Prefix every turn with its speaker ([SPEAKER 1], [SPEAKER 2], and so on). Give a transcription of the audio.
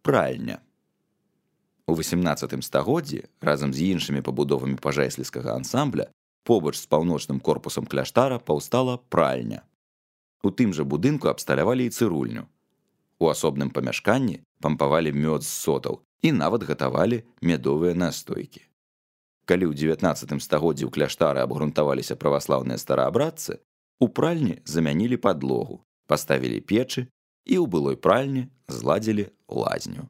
[SPEAKER 1] Пральня. У 18 стагоддзі разам з іншымі пабудовамі пажайсліцкага ансамбля побач з паўночным корпусам кляштара паўстала пральня. У тым жа будынку абсталявалі і цырульню. У асобным памяшканні пампавалі мёд з сотаў і нават гатавалі мядовыя настойкі. Калі ў 19 стагоддзі ў кляштары абгрунтаваліся праваслаўныя стараабрадцы, у пральні замянілі падлогу, паставілі печы і ў былой пральні зладзілі лазню.